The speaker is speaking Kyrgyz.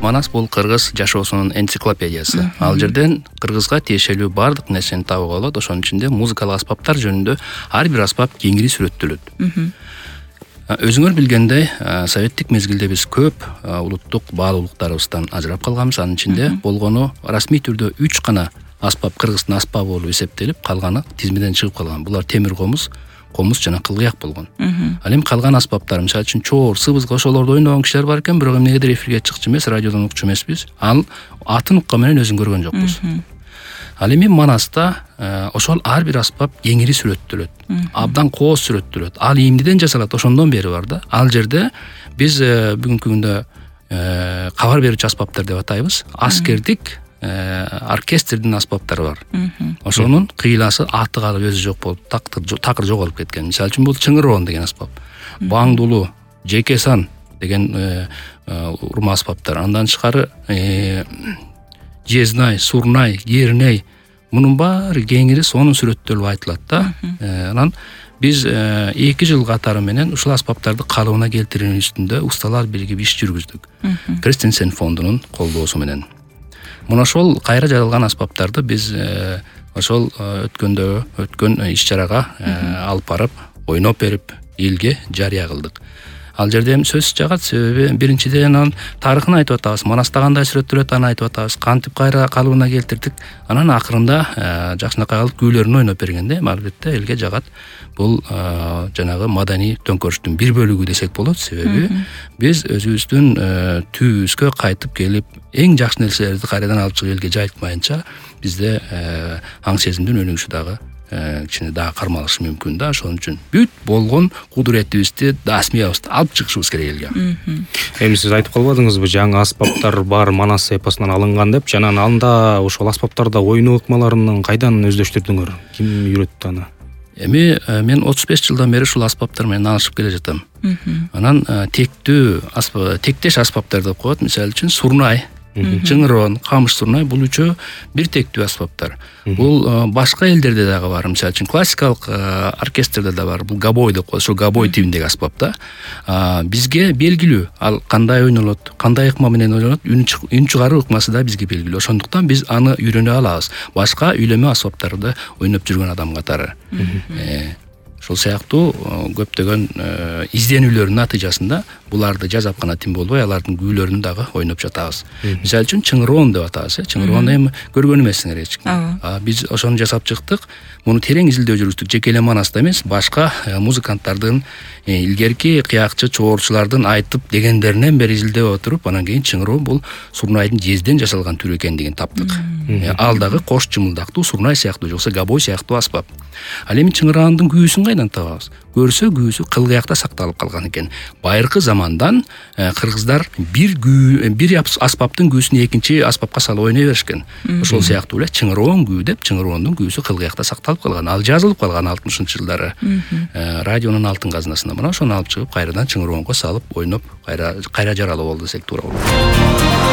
Манас бул кыргыз жашоосунун энциклопедиясы. Ал жерден кыргызга тиешелүү бардык нерсени табууга болот. Ошонун ичинде музыкалык аспаптар жөнүндө ар бир аспап кеңири сүрөттөлөт. Өзүңөр билгендей, советтик мезгилде биз көп улуттук баалуулуктарыбыздан ажырап калганбыз. Анын ичинде болгону расмий түрдө 3 гана аспап кыргыздын аспабы болуп эсептелип, калганы тизмеден чыгып калган. Булар темир комуз жана кылгыяк болгон. Ал эми калган аспаптар, мисалы үчүн чоор, сыбыз, ошолорду ойногон кишилер бар экен, бирок эмнегедир эфирге чыкчу эмес, радиодон укчу эмеспиз. Ал атын уккан менен өзүн көргөн жокпуз. Ал эми Манаста ошол ар бир аспап кеңири сүрөттөлөт. Абдан кооз сүрөттөлөт. Ал ийимдиден жасалат, ошондон бери бар да. Ал жерде биз бүгүнкү күндө кабар берүүчү аспаптар деп атайбыз. Аскердик оркестрдин аспаптары бар. Ошонун кыйласы аты калып өзү жок болуп, такыр жоголуп кеткен. Мисалы үчүн бул чыңыроон деген аспап. Баңдулу, жекесан деген урма аспаптар. Андан тышкары жезнай, сурнай, герней, мунун баары кеңири сонун сүрөттөлүп айтылат да. Анан биз 2 жыл катары менен ушул аспаптарды калыбына келтирүү үстүндө усталар биригип иш жүргүздүк. Кристенсен фондунун колдоосу менен. Мына ошол кайра жаралган аспаптарды биз ошол өткөн иш-чарага алып барып, ойноп берип, элге жарыя кылдык. Ал жерде эми сөз жагат, себеби биринчиден анын тарыхын айтып атабыз, Манаста кандай сүрөттөлөт аны айтып атабыз, кантип кайра калыбына келтирдик. Анан акырында жакшынакай алып күүлөрүн ойноп бергенде, албетте элге жагат. Бул жанагы маданий төңкөрүштүн бир бөлүгү десек болот, себеби биз өзүбүздүн түбүбүзгө кайтып келип, эң жакшы нерселерди кайрадан алып чыгып элге жайылтмайынча бизде аң сезимдин өнүгүшү дагы кичине дагы кармалышы мүмкүн да. Ошон үчүн бүт болгон кудуретибизди, дасмиябызды алып чыгышыбыз керек элге. Эми сиз айтып калбадыңызбы, жаңы аспаптар бар Манас эпосунан алынган деп? Жана анда ошол аспаптарда ойноо ыкмаларын кайдан өздөштүрдүңөр? Ким үйрөттү аны? Эми мен 35 жылдан бери ушул аспаптар менен алышып келе жатам. Анан тектеш аспаптар деп коет. Мисалы үчүн сурнай, чыңыроон, камыш сурнай бул үчөө бир тектүү аспаптар. Бул башка элдерде дагы бар. Мисалы үчүн классикалык оркестрде да бар. Бул габой деп коет. Ошо габой тибиндеги аспап да. Бизге белгилүү. Ал кандай ойнолот, кандай ыкма менен ойнолот, үн чыгаруу ыкмасы да бизге белгилүү. Ошондуктан биз аны үйрөнө алабыз. Башка үйлөмө аспаптарды ойноп жүргөн адам катары. Ошол сыяктуу көптөгөн изденүүлөрдүн натыйжасында буларды жазап гана тим болбой, алардын күүлөрүн дагы ойноп жатабыз. Мисалы үчүн чыңыроон деп атабыз. Чыңыроон эми көргөн эмессиңер эч ким. Биз ошону жасап чыктык. Муну терең изилдөө жүргүздүк. Жеке эле Манаста эмес, башка музыканттардын, илгерки кыякчы, чоорчулардын айтып дегендеринен бери изилдеп отуруп, анан кийин чыңыроон бул сурнайдын жезден жасалган түрү экендигин таптык. Ал дагы кош чымылдактуу сурнай сыяктуу, жоксо габой сыяктуу аспап. Ал эми чыңыраандын күүсүн кайдан табабыз? Көрсө күүсү кылгыякта сакталып калган экен. Байыркы замандан кыргыздар бир аспаптын күүсүн экинчи аспапка салып ойной беришкен. Ошол сыяктуу эле чыңыроон күү деп, чыңыроондун күүсү кылгыякта сакталып калган. Ал жазылып калган 60-жылдары радионун алтын казынасына. Мына ошону алып чыгып кайрадан чыңыроонго салып ойноп кайра жаралуу болду десек туура болот.